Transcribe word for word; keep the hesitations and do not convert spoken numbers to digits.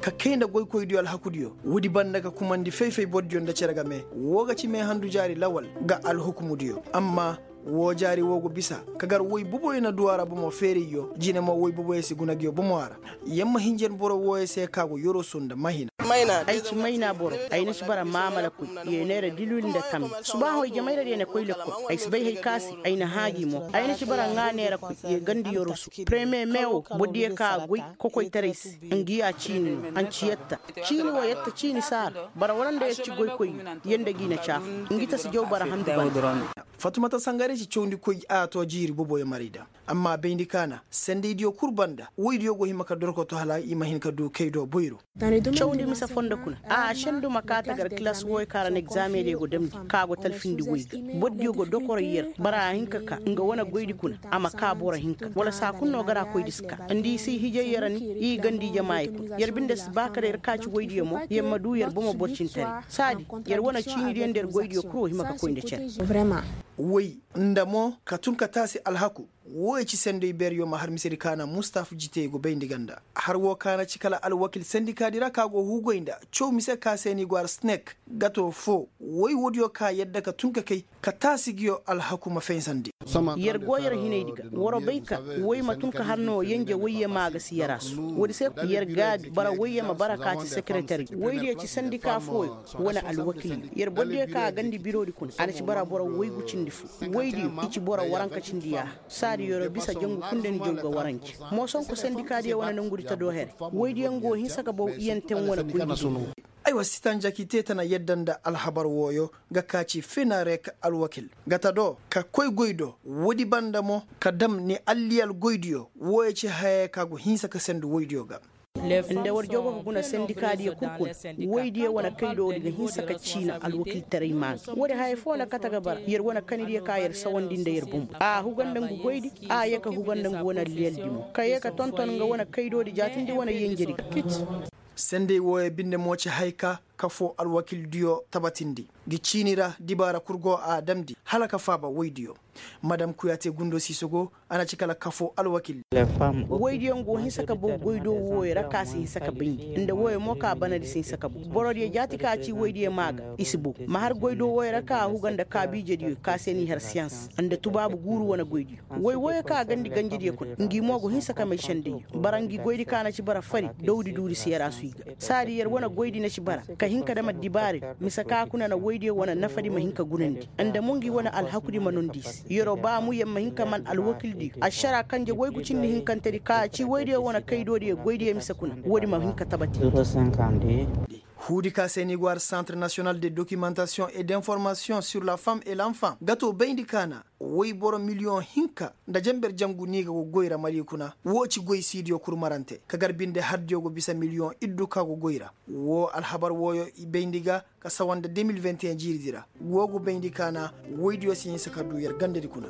Ka kay nda goykoydiyo alhakudiyo woodi banda ka kumandi fay-fay bordiyo nda cere game. Woo ga ci meehandu jaari lawal ga alhukumudiyo. Amma woo jaari woo go bisa ka gar woy boboyo na du a ra bomo feerayyo jine mo woy boboyo si guna nguyo bomo a ra. Yer ma hinjan boro wooyo se ka go yoroso nda mahina. Ay ci mayna boro. Ay na ci bara maamalakoy. Yer neera dilwil nda tammi subaahoy jamayra diyo na koy lekkol. Ay si bay hay ka se ay na hãa gi mo. Ay na ci bara ŋaa neerakoy. Yer gandi yoroso. Premiye me woo bordiyo ka goy kokoytaray se. Ngi ya ciini no. Anciyetta ciini woo yetta ciini saara. Bara wala nda yer ci goykoyyo. Yer nda gi na caafu. Ngi ta si jaw bara handu banda. Fatumata sangare ci cawndikoy a to jiiri boboyo maray da. Amma bayndi kaana sendaydiyo kul banda woydiyo go hima ka dorkoto hala i ma hin ka du kay do boyro. Cawndi mise fondo kuna. A sendu ma kaa tagar kilas wooyo kaŋ ra na egzaamediyo go damndi ka go talfindi woy ga. Bordiyo go dokoro yer bara a hin ka kaa nga wane goydi kuna. A ma kaa boro hinka wala saa kul no gara koydi si kaa. Nda i si hijay yer ni i gandi jamaayey kuna yer binde si ba kala yer kaa ci woydiyo mo yer ma du yer bomo borcintaray. Saadi yer wane ciinidiyo nda yer goydiyo kul wo hima ka koy nda cere. Woy nda mo ka tun ka taasi alhaku. Wooyo ci senday beeryo ma har misedi kaana mustaf jitey go bayndi ganda har woo kaana ci kala alwakil sendikaadi ra ka go huugoy nda caw mise ka se ni go har snek. Gato foo woy woodiyo ka yadda ka tun ka kay ka taasi nguyo alhaku ma faysandi. Yer go yer hinaydi ga waro bay ka woy ma tun ka har no yenje woyye maa ga si yer a su woodi se yer gaabi bara woyye ma bara ka ci sekeretaryo woydiyo ci sendika fooyo. Wane alwakilyo yer bordiyo ka a gandi biroodi kuna a na ci bara boro woygu cindi fo. Woydiyo i ci boro waranka cindi yaaha. Saadi yeroo bisa jangu kul nda ni jaw ga warance. Moosonko sendikaadiyo wane nangudi ta doo here. Woydiyo nga woo hinsa ka baw iyanten wane goydi. Aywa sitan jaki te tana yadda nda alhabar wooyo ga kaa ci fenarek alwakil ga ta do ka koy goy do. Woodi banda mo ka dam ni alliyal goydiyo wooyo ci hayey ka go hinsa ka sendu woydiyo ga. Nda war jaw go ka guna sendikaadiyo kul kuna. Woydiyo wane kaydoodi ga hinsa ka ciina alwakiltaray maa ga woodi haya foo na kate ga bara yer wane kanidiyo ka yer sawandi nda yer bumbu a huga nda ngu goydi. A yee ka huga nda ngu wane alliyaldi mo ka yee ka tonton nga wane kaydoodi jaatindi wane yenjedi ga. Senday wooyo binde mo ci haya ka kafoo alwakildiyo tabatindi. Ngi ciini ra dibaara kul go a damndi hala ka faaba woydiyo. Madam kuyaate gundo siisogo a na ci kala kafoo alwakil. Woydiyo nga wo hinsa ka baw goydoo wooyo ra ka si hinsa ka bayndi nda wooyo mo ka banadi si hinsa ka baw. Borodiyo jaati ka ci woydiyo maa ga i si baw. Ma har goydoo wooyo ra ka a huga nda kaabiijediyo ka se n'i har siyans nda tubaabu guuru wane goydiyo. Woy wooyo ka a gandi ganjediyo kuna ngi mo go hinsa ka may sendayyo. Bara ngi goydi ka na ci bara fari dawdi duudi si yer a suy ga. Saadi yer wane goydi na ci bara ka hin ka dam addibaaradi. Mise ka kuna na woydiyo wane nafadi ma hin ka gunandi. Nda mo ngi wane alhakudi ma nondi i se yeroo baamu yer ma hin ka man alwakildiyo ašaraa kanje woygu cindi hinkantedi ka ci woydiyo wane kaydoodiyo goydiyo mise kuna. Woodi ma hin ka tabati. Huudi ka se ni go har santre national de dokimantasion et d'informasion sur la femme et l'enfant gato bayndi kaana. Woy boro miliyoŋ hinka nda jenber jangu ni ga go goy ra mali kuna woo ci goy siidiyo kurmarante ka gar binde hardiyo go bisa miliyoŋ iddu ka go goy ra. Woo alhabar wooyo i bayndi ga ka sawa nda deux mille vingt et un jiiridi ra. Woo go bayndi kaana woydiyo si hinsa ka du yer gandedi kuna.